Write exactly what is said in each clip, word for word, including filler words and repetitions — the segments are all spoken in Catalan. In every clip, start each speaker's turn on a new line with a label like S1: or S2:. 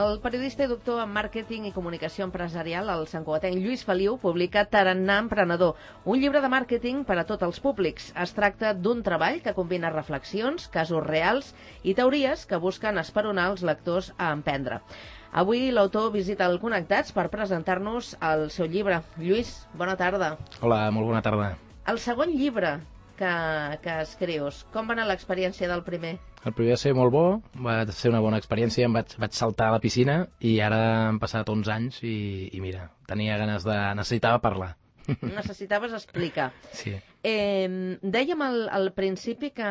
S1: El periodista i doctor en màrqueting i comunicació empresarial, el santcugatenc Lluís Feliu, publica Tarannà Emprenedor, un llibre de màrqueting per a tots els públics. Es tracta d'un treball que combina reflexions, casos reals i teories que busquen esperonar els lectors a emprendre. Avui l'autor visita el Connectats per presentar-nos el seu llibre. Lluís, bona tarda.
S2: Hola, molt bona tarda.
S1: El segon llibre que, que escrius, com va anar l'experiència del primer?
S2: El primer va ser molt bo, va ser una bona experiència, em vaig, vaig saltar a la piscina i ara han passat onze anys i, i mira, tenia ganes de... necessitava parlar.
S1: Necessitaves explicar.
S2: Sí.
S1: Eh, dèiem al, al principi que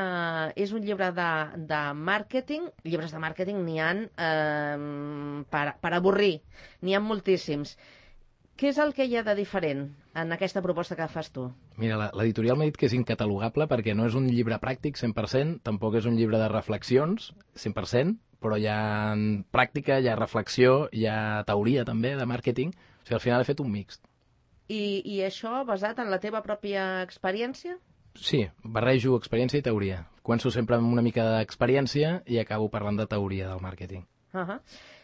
S1: és un llibre de, de màrqueting. Llibres de màrqueting n'hi ha eh, per, per avorrir, n'hi ha moltíssims. Què és el que hi ha de diferent en aquesta proposta que fas tu?
S2: Mira, l'editorial m'ha dit que és incatalogable perquè no és un llibre pràctic cent per cent, tampoc és un llibre de reflexions cent per cent, però hi ha pràctica, hi ha reflexió, hi ha teoria també de màrqueting. O sigui, al final he fet un mixt.
S1: I, i això basat en la teva pròpia experiència?
S2: Sí, barrejo experiència i teoria. Començo sempre amb una mica d'experiència i acabo parlant de teoria del màrqueting.
S1: Uh -huh.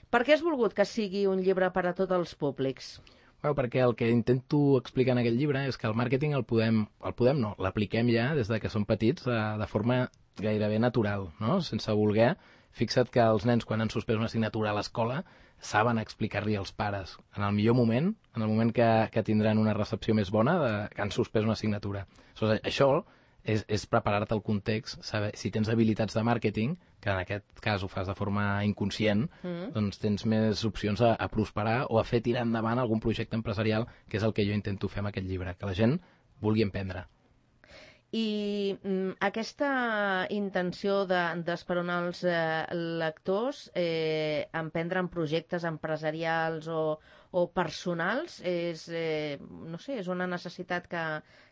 S1: Per què has volgut que sigui un llibre per a tots els públics?
S2: Bueno, perquè el que intento explicar en aquest llibre és que el màrqueting el podem, el podem no, l'apliquem ja des de que som petits de, de forma gairebé natural, no? Sense voler. Fixa't que els nens, quan han suspès una assignatura a l'escola, saben explicar-li als pares, en el millor moment, en el moment que, que tindran una recepció més bona, de, que han suspès una assignatura. Aleshores, això és, és preparar-te el context, saber, si tens habilitats de màrqueting, que en aquest cas ho fas de forma inconscient, mm. doncs tens més opcions a, a prosperar o a fer tirar endavant algun projecte empresarial, que és el que jo intento fer amb aquest llibre, que la gent vulgui emprendre.
S1: I mm, aquesta intenció d'esperonar de, els eh, lectors eh, emprendre en projectes empresarials o, o personals és, eh, no sé, és una necessitat que,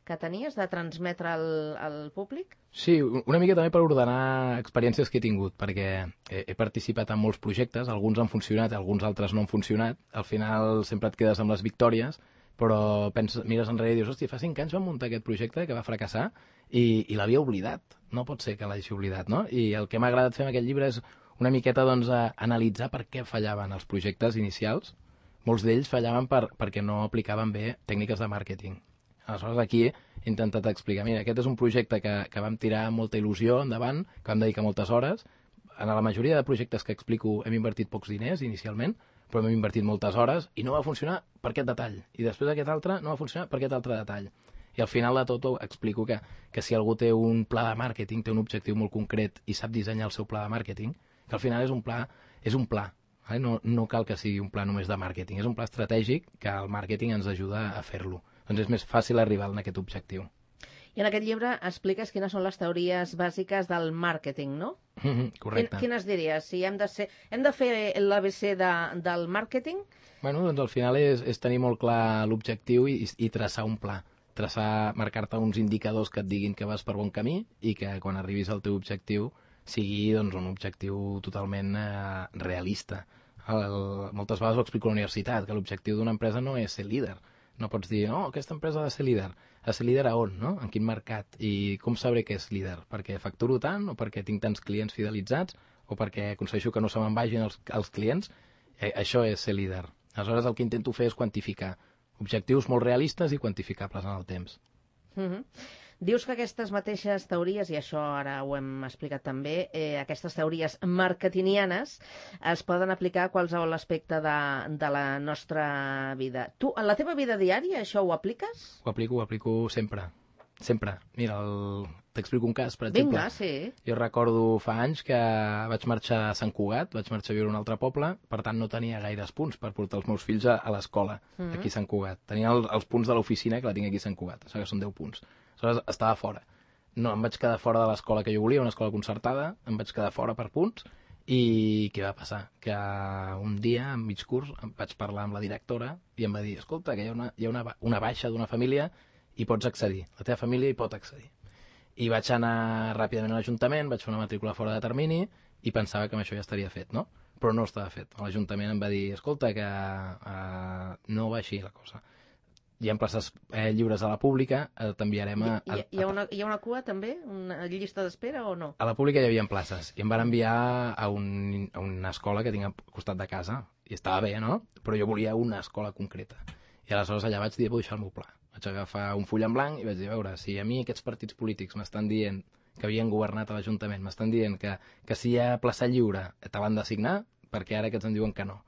S1: que tenies de transmetre al, al públic?
S2: Sí, una mica també per ordenar experiències que he tingut, perquè he, he participat en molts projectes, alguns han funcionat, alguns altres no han funcionat, al final sempre et quedes amb les victòries, però penses, mires enrere i dius, hòstia, fa cinc anys vam muntar aquest projecte que va fracassar i, i l'havia oblidat. No pot ser que l'hagi oblidat, no? I el que m'ha agradat fer amb aquest llibre és una miqueta doncs, a analitzar per què fallaven els projectes inicials. Molts d'ells fallaven per, perquè no aplicaven bé tècniques de màrqueting. Aleshores, aquí he intentat explicar, mira, aquest és un projecte que, que vam tirar amb molta il·lusió endavant, que vam dedicar moltes hores. En la majoria de projectes que explico hem invertit pocs diners inicialment, però hem invertit moltes hores i no va funcionar per aquest detall. I després aquest altre no va funcionar per aquest altre detall. I al final de tot explico que, que si algú té un pla de màrqueting, té un objectiu molt concret i sap dissenyar el seu pla de màrqueting, que al final és un pla, és un pla. Eh? No, no cal que sigui un pla només de màrqueting, és un pla estratègic que el màrqueting ens ajuda a fer-lo. Doncs és més fàcil arribar a aquest objectiu.
S1: I en aquest llibre expliques quines són les teories bàsiques del màrqueting, no?
S2: Mm-hmm, correcte.
S1: Quines diries? Si hem de, ser, hem de fer l'A B C de, del màrqueting?
S2: Bueno, doncs al final és, és tenir molt clar l'objectiu i, i traçar un pla. Traçar, marcar-te uns indicadors que et diguin que vas per bon camí i que quan arribis al teu objectiu sigui doncs, un objectiu totalment eh, realista. El, el, moltes vegades ho explico a la universitat, que l'objectiu d'una empresa no és ser líder. No pots dir, no, aquesta empresa ha de ser líder. Ha de ser líder a on, no? En quin mercat? I com sabré que és líder? Perquè facturo tant o perquè tinc tants clients fidelitzats o perquè aconsegueixo que no se me'n vagin els, els clients? Eh, això és ser líder. Aleshores el que intento fer és quantificar objectius molt realistes i quantificables en el temps.
S1: Mm-hmm. Dius que aquestes mateixes teories, i això ara ho hem explicat també, eh, aquestes teories marketingianes es poden aplicar a qualsevol aspecte de, de la nostra vida. Tu, en la teva vida diària, això ho apliques?
S2: Ho aplico, ho aplico sempre. Sempre. Mira, el... t'explico un cas, per exemple.
S1: Vinga, sí.
S2: Jo recordo fa anys que vaig marxar a Sant Cugat, vaig marxar a viure a un altre poble, per tant no tenia gaires punts per portar els meus fills a, a l'escola, mm-hmm. aquí a Sant Cugat. Tenia el, els punts de l'oficina que la tinc aquí a Sant Cugat, això que són deu punts. Aleshores estava fora. No, em vaig quedar fora de l'escola que jo volia, una escola concertada, em vaig quedar fora per punts, i què va passar? Que un dia, en mig curs, em vaig parlar amb la directora i em va dir, escolta, que hi ha una, hi ha una, una baixa d'una família i pots accedir, la teva família hi pot accedir. I vaig anar ràpidament a l'Ajuntament, vaig fer una matrícula fora de termini i pensava que amb això ja estaria fet, no? Però no estava fet. L'Ajuntament em va dir, escolta, que uh, no va així la cosa. hi ha places eh, lliures a la pública, eh, t'enviarem a, a,
S1: hi, hi, ha una, hi ha una cua també? Una llista d'espera o no?
S2: A la pública hi havia places i em van enviar a, un, a una escola que tinc al costat de casa i estava bé, no? Però jo volia una escola concreta i aleshores allà vaig dir, vull deixar el meu pla. Vaig agafar un full en blanc i vaig dir, a veure, si a mi aquests partits polítics m'estan dient que havien governat a l'Ajuntament, m'estan dient que, que si hi ha plaça lliure te l'han d'assignar, perquè ara aquests em diuen que no.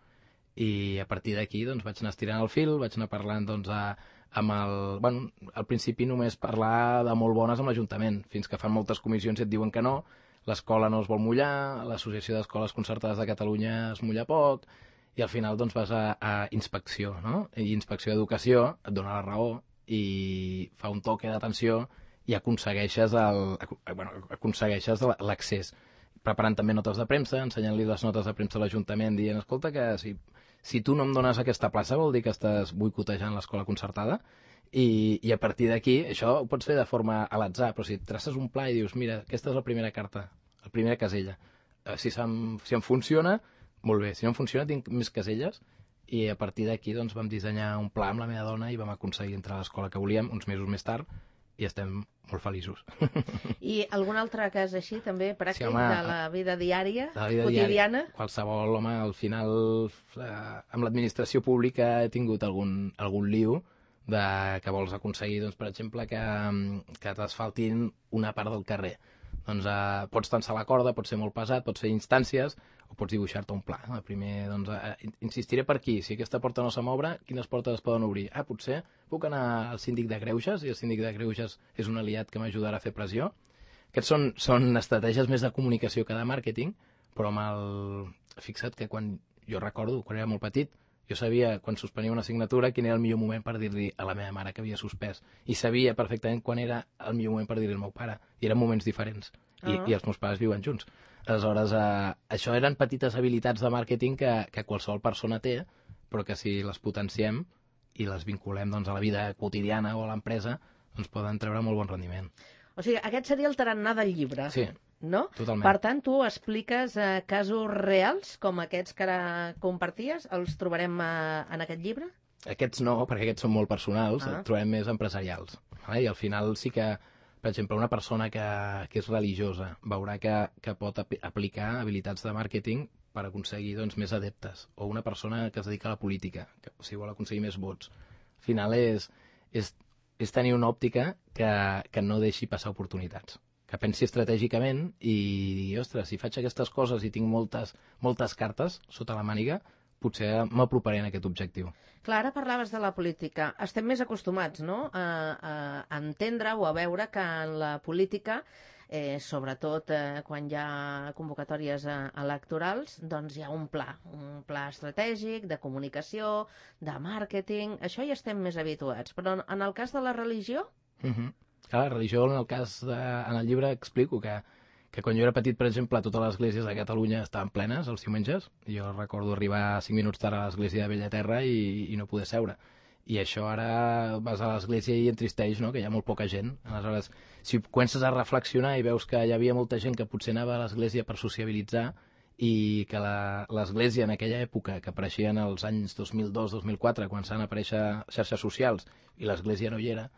S2: I a partir d'aquí doncs, vaig anar estirant el fil, vaig anar parlant doncs, a, amb el... Bueno, al principi només parlar de molt bones amb l'Ajuntament, fins que fan moltes comissions i et diuen que no, l'escola no es vol mullar, l'Associació d'Escoles Concertades de Catalunya es mulla poc, i al final doncs, vas a, a inspecció, no? I inspecció d'educació et dona la raó i fa un toque d'atenció i aconsegueixes el, bueno, aconsegueixes l'accés. Preparant també notes de premsa, ensenyant-li les notes de premsa a l'Ajuntament, dient, escolta, que si, si tu no em dones aquesta plaça vol dir que estàs boicotejant l'escola concertada, i, i a partir d'aquí, això ho pots fer de forma a l'atzar, però si traces un pla i dius, mira, aquesta és la primera carta, la primera casella, si, em, si em funciona, molt bé, si no em funciona tinc més caselles, i a partir d'aquí doncs, vam dissenyar un pla amb la meva dona i vam aconseguir entrar a l'escola que volíem, uns mesos més tard, i estem molt feliços.
S1: I algun altre cas així, també, pràctic, sí, home, de la vida diària,
S2: de la vida
S1: quotidiana?
S2: Diària. Qualsevol, home, al final, eh, amb l'administració pública he tingut algun, algun liu de que vols aconseguir, doncs, per exemple, que, que t'asfaltin una part del carrer. Doncs eh, pots tensar la corda, pot ser molt pesat, pots fer instàncies, o pots dibuixar-te un pla. El primer, doncs, eh, insistiré per aquí. Si aquesta porta no se m'obre, quines portes es poden obrir? Ah, potser puc anar al síndic de Greuges, i el síndic de Greuges és un aliat que m'ajudarà a fer pressió. Aquests són, són estratègies més de comunicació que de màrqueting, però amb el... Fixa't que quan jo recordo, quan era molt petit, jo sabia, quan suspenia una assignatura, quin era el millor moment per dir-li a la meva mare que havia suspès. I sabia perfectament quan era el millor moment per dir-li al meu pare. I eren moments diferents. I, uh-huh. i els meus pares viuen junts. Aleshores, eh, això eren petites habilitats de màrqueting que, que qualsevol persona té, però que si les potenciem i les vinculem doncs, a la vida quotidiana o a l'empresa, doncs poden treure molt bon rendiment.
S1: O sigui, aquest seria el tarannà del llibre.
S2: Sí,
S1: no?
S2: Totalment.
S1: Per tant, tu expliques eh, casos reals, com aquests que ara comparties, els trobarem eh, en aquest llibre?
S2: Aquests no, perquè aquests són molt personals, ah. trobem més empresarials. Eh? I al final sí que, per exemple, una persona que, que és religiosa veurà que, que pot ap aplicar habilitats de màrqueting per aconseguir doncs, més adeptes. O una persona que es dedica a la política, que o sigui, vol aconseguir més vots. Al final és, és, és tenir una òptica que, que no deixi passar oportunitats. Que pensi estratègicament i digui, ostres, si faig aquestes coses i tinc moltes, moltes cartes sota la màniga, potser m'aproparé en aquest objectiu.
S1: Clar, ara parlaves de la política. Estem més acostumats, no?, a, a entendre o a veure que en la política, eh, sobretot eh, quan hi ha convocatòries eh, electorals, doncs hi ha un pla, un pla estratègic, de comunicació, de màrqueting, això hi estem més habituats. Però en el cas de la religió...
S2: Uh-huh. Clar, la religió, en el cas de, en el llibre explico que, que quan jo era petit, per exemple, totes les esglésies de Catalunya estaven plenes els diumenges. Jo recordo arribar cinc minuts tard a l'església de Bellaterra i, i no poder seure. I això ara vas a l'església i entristeix, no?, que hi ha molt poca gent. Aleshores, si comences a reflexionar i veus que hi havia molta gent que potser anava a l'església per sociabilitzar i que l'església en aquella època, que apareixien als anys dos mil dos dos mil quatre, quan s'han aparèixer xarxes socials, i l'església no hi era,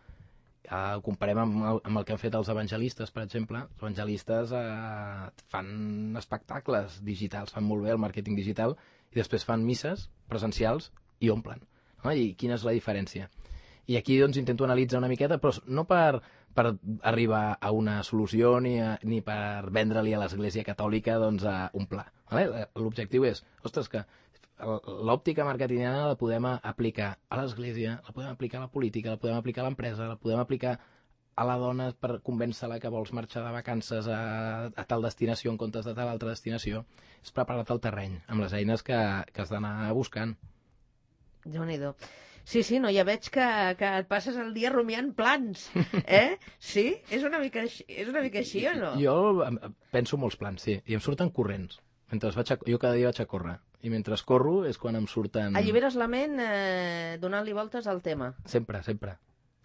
S2: Uh, ho comparem amb el, amb el que han fet els evangelistes, per exemple. Els evangelistes uh, fan espectacles digitals, fan molt bé el màrqueting digital, i després fan misses presencials i omplen. No? I quina és la diferència? I aquí doncs, intento analitzar una miqueta, però no per, per arribar a una solució ni, a, ni per vendre-li a l'Església Catòlica doncs, a un pla. Vale? L'objectiu és, ostres, que l'òptica marketingiana la podem aplicar a l'Església, la podem aplicar a la política, la podem aplicar a l'empresa, la podem aplicar a la dona per convèncer-la que vols marxar de vacances a, a tal destinació en comptes de tal altra destinació. És preparar-te el terreny amb les eines que, que has d'anar buscant.
S1: Déu-n'hi-do. Sí, sí, no, ja veig que, que et passes el dia rumiant plans, eh? Sí? És una mica, és una mica així o no?
S2: Jo penso molts plans, sí, i em surten corrents. Mentre vaig a, jo cada dia vaig a córrer, i mentre corro és quan em surten...
S1: Alliberes la ment eh, donant-li voltes al tema.
S2: Sempre, sempre.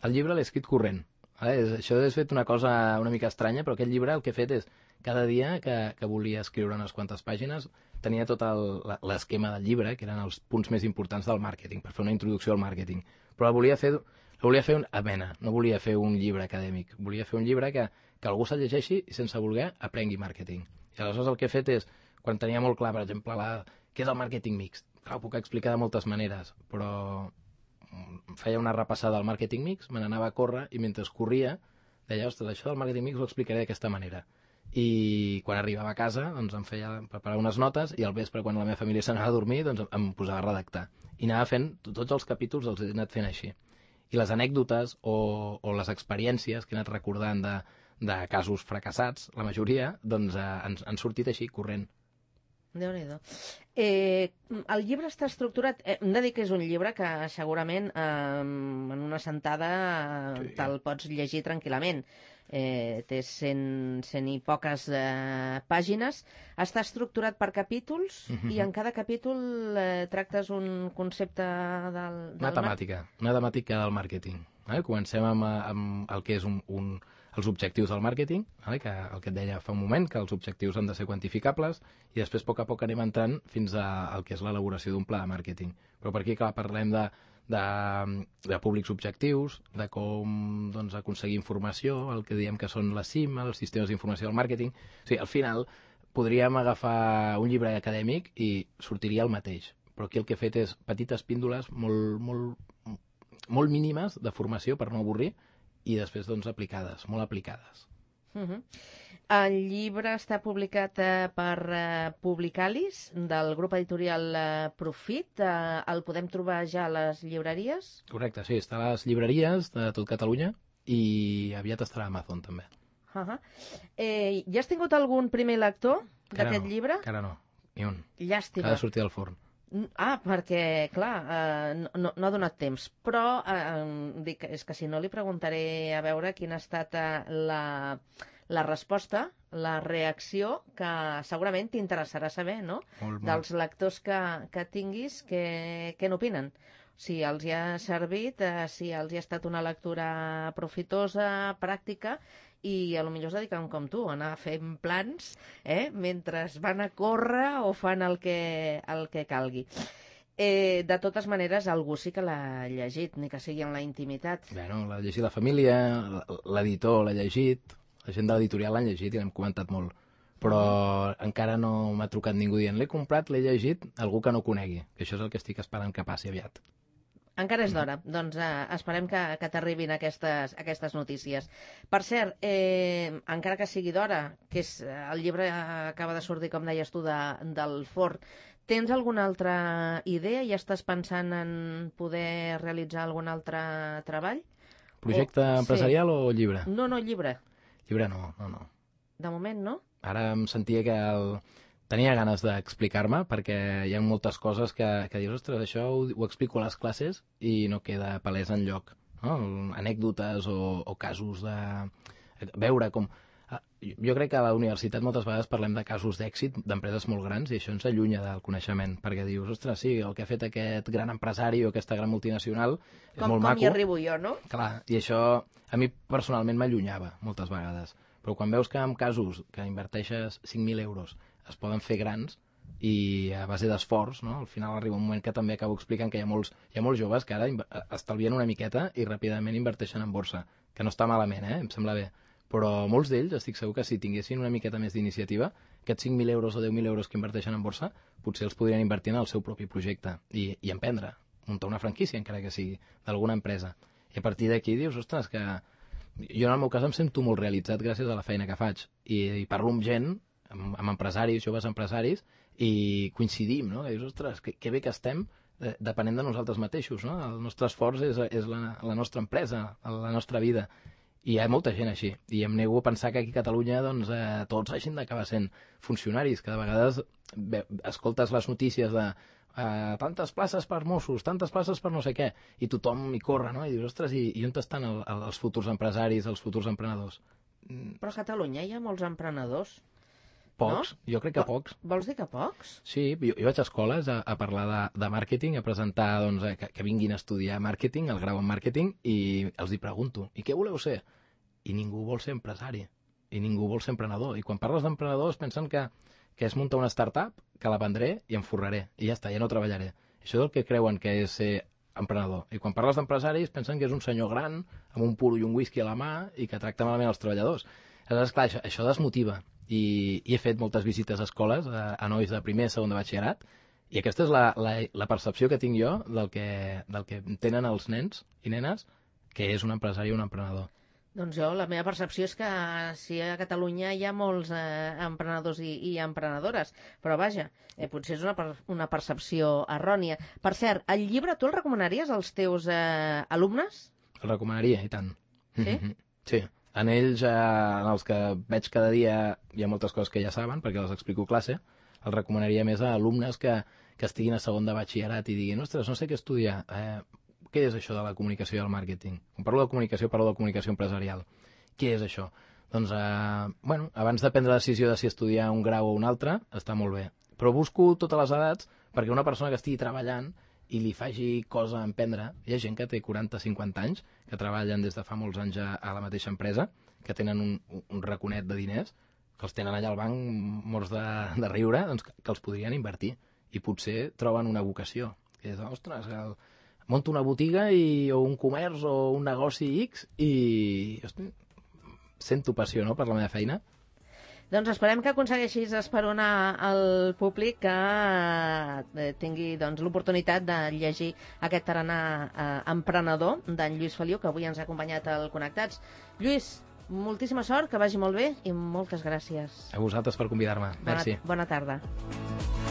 S2: El llibre l'he escrit corrent. Eh? Això és fet una cosa una mica estranya, però aquest llibre el que he fet és cada dia que, que volia escriure unes quantes pàgines tenia tot l'esquema del llibre, que eren els punts més importants del màrqueting, per fer una introducció al màrqueting. Però la volia fer, la volia fer un, amena, no volia fer un llibre acadèmic, volia fer un llibre que, que algú se'l llegeixi i sense voler aprengui màrqueting. I aleshores el que he fet és, quan tenia molt clar, per exemple, la, què és el màrqueting mixt? Clar, ho puc explicar de moltes maneres, però feia una repassada al màrqueting mix, me n'anava a córrer i mentre corria deia, ostres, això del màrqueting mix ho explicaré d'aquesta manera. I quan arribava a casa doncs em feia preparar unes notes i al vespre quan la meva família s'anava a dormir doncs em posava a redactar i anava fent, tots els capítols els he anat fent així i les anècdotes o, o les experiències que he anat recordant de, de casos fracassats, la majoria doncs eh, han, han sortit així, corrent.
S1: Déu-n'hi-do. Eh, el llibre està estructurat... Eh, hem de dir que és un llibre que segurament eh, en una sentada eh, sí. te'l pots llegir tranquil·lament. Eh, té cent, cent i poques eh, pàgines. Està estructurat per capítols uh-huh. i en cada capítol eh, tractes un concepte del... del
S2: una temàtica, una temàtica del màrqueting. Eh? Comencem amb, amb el que és un... un els objectius del màrqueting, vale? Que el que et deia fa un moment, que els objectius han de ser quantificables i després a poc a poc anem entrant fins al que és l'elaboració d'un pla de màrqueting. Però per aquí, clar, parlem de, de, de públics objectius, de com doncs, aconseguir informació, el que diem que són la C I M, els sistemes d'informació del màrqueting. O sigui, al final podríem agafar un llibre acadèmic i sortiria el mateix, però aquí el que he fet és petites píndoles molt, molt, molt mínimes de formació per no avorrir i després doncs aplicades, molt aplicades.
S1: Uh-huh. El llibre està publicat eh, per eh, Publicalis, del grup editorial eh, Profit. Eh, el podem trobar ja a les llibreries?
S2: Correcte, sí, està a les llibreries de tot Catalunya i aviat estarà a Amazon també.
S1: Uh-huh. Eh, ja has tingut algun primer lector d'aquest
S2: no,
S1: llibre?
S2: Encara no, ni un.
S1: Llàstima.
S2: Ha de sortir del forn.
S1: Ah, perquè, clar, eh, no, no ha donat temps. Però eh, dic, és que si no li preguntaré a veure quina ha estat eh, la, la resposta, la reacció, que segurament t'interessarà saber, no?
S2: Molt, molt.
S1: Dels lectors que, que tinguis, que, què n'opinen. Si els hi ha servit, eh, si els hi ha estat una lectura profitosa, pràctica, i a lo millor es dediquen com tu, a anar fent plans eh, mentre van a córrer o fan el que, el que calgui. Eh, de totes maneres, algú sí que l'ha llegit, ni que sigui en la intimitat.
S2: Bueno, l'ha llegit la família, l'editor l'ha llegit, la gent de l'editorial l'han llegit i l'hem comentat molt. Però encara no m'ha trucat ningú dient l'he comprat, l'he llegit, algú que no conegui, que això és el que estic esperant que passi aviat.
S1: Encara és d'hora, doncs eh, esperem que, que t'arribin aquestes, aquestes notícies. Per cert, eh, encara que sigui d'hora, que és, el llibre acaba de sortir, com deies tu, de, del forn, tens alguna altra idea? Ja estàs pensant en poder realitzar algun altre treball?
S2: Projecte o, empresarial sí. o llibre?
S1: No, no, llibre.
S2: Llibre no, no, no.
S1: De moment no?
S2: Ara em sentia que el... tenia ganes d'explicar-me perquè hi ha moltes coses que, que dius, ostres, això ho, ho explico a les classes i no queda palès enlloc, no? Anècdotes o, o casos de veure com... Jo crec que a la universitat moltes vegades parlem de casos d'èxit d'empreses molt grans i això ens allunya del coneixement, perquè dius, ostres, sí, el que ha fet aquest gran empresari o aquesta gran multinacional és
S1: com,
S2: molt
S1: com
S2: maco.
S1: Com hi arribo jo, no?
S2: Clar, i això a mi personalment m'allunyava moltes vegades, però quan veus que en casos que inverteixes cinc mil euros es poden fer grans i a base d'esforç, no? Al final arriba un moment que també acabo explicant que hi ha molts, hi ha molts joves que ara estalvien una miqueta i ràpidament inverteixen en borsa, que no està malament, eh? Em sembla bé. Però molts d'ells, estic segur que si tinguessin una miqueta més d'iniciativa, aquests cinc mil euros o deu mil euros que inverteixen en borsa, potser els podrien invertir en el seu propi projecte i, i emprendre, muntar una franquícia, encara que sigui, d'alguna empresa. I a partir d'aquí dius, ostres, que jo en el meu cas em sento molt realitzat gràcies a la feina que faig i, i parlo amb gent, amb, amb empresaris, joves empresaris, i coincidim, no? Que dius, ostres, que, que bé que estem eh, depenent de nosaltres mateixos, no? El nostre esforç és, és la, la nostra empresa, la nostra vida. I hi ha molta gent així. I em nego a pensar que aquí a Catalunya doncs, eh, tots hagin d'acabar sent funcionaris, que de vegades bé, escoltes les notícies de eh, tantes places per Mossos, tantes places per no sé què, i tothom hi corre, no? I dius, ostres, i, i on estan el, el, els futurs empresaris, els futurs emprenedors?
S1: Però a Catalunya hi ha molts emprenedors.
S2: Pocs, no? Jo crec que pocs.
S1: Vols dir que pocs?
S2: Sí, jo, jo vaig a escoles a, a parlar de, de màrqueting, a presentar doncs, que, que vinguin a estudiar màrqueting, el grau en màrqueting, i els hi pregunto, i què voleu ser? I ningú vol ser empresari. i ningú vol ser emprenedor. I quan parles d'emprenedors pensen que, que és muntar una startup, que la vendré i em forraré, i ja està, ja no treballaré. Això és el que creuen que és ser emprenedor. I quan parles d'empresaris pensen que és un senyor gran, amb un puro i un whisky a la mà, i que tracta malament els treballadors. Aleshores, clar, això, això desmotiva. I, i he fet moltes visites a escoles, a, a nois de primer, segon de batxillerat, i aquesta és la, la, la percepció que tinc jo del que, del que tenen els nens i nenes, que és un empresari o un emprenedor.
S1: Doncs jo, la meva percepció és que sí, a Catalunya hi ha molts eh, emprenedors i, i emprenedores, però vaja, eh, potser és una, per, una percepció errònia. Per cert, el llibre tu el recomanaries als teus eh, alumnes?
S2: El recomanaria, i tant.
S1: Sí?
S2: Sí. En ells, eh, en els que veig cada dia, hi ha moltes coses que ja saben, perquè les explico a classe. El recomanaria més a alumnes que, que estiguin a segon de batxillerat i diguin, ostres, no sé què estudiar. Eh, què és això de la comunicació i el màrqueting? Quan parlo de comunicació, parlo de comunicació empresarial. Què és això? Doncs, eh, bueno, abans de prendre la decisió de si estudiar un grau o un altre, està molt bé. Però busco totes les edats perquè una persona que estigui treballant i li faci cosa a emprendre. Hi ha gent que té quaranta cinquanta anys, que treballen des de fa molts anys a, a la mateixa empresa, que tenen un, un raconet de diners, que els tenen allà al banc morts de, de riure, doncs que, que els podrien invertir. I potser troben una vocació. Que és, ostres, el, monto una botiga i, o un comerç o un negoci X i hosti, sento passió, no?, per la meva feina.
S1: Doncs esperem que aconsegueixis esperonar el públic que eh, tingui doncs, l'oportunitat de llegir aquest tarannà eh, emprenedor d'en Lluís Feliu, que avui ens ha acompanyat al Connectats. Lluís, moltíssima sort, que vagi molt bé i moltes gràcies.
S2: A vosaltres per convidar-me. Merci.
S1: Bona, bona tarda.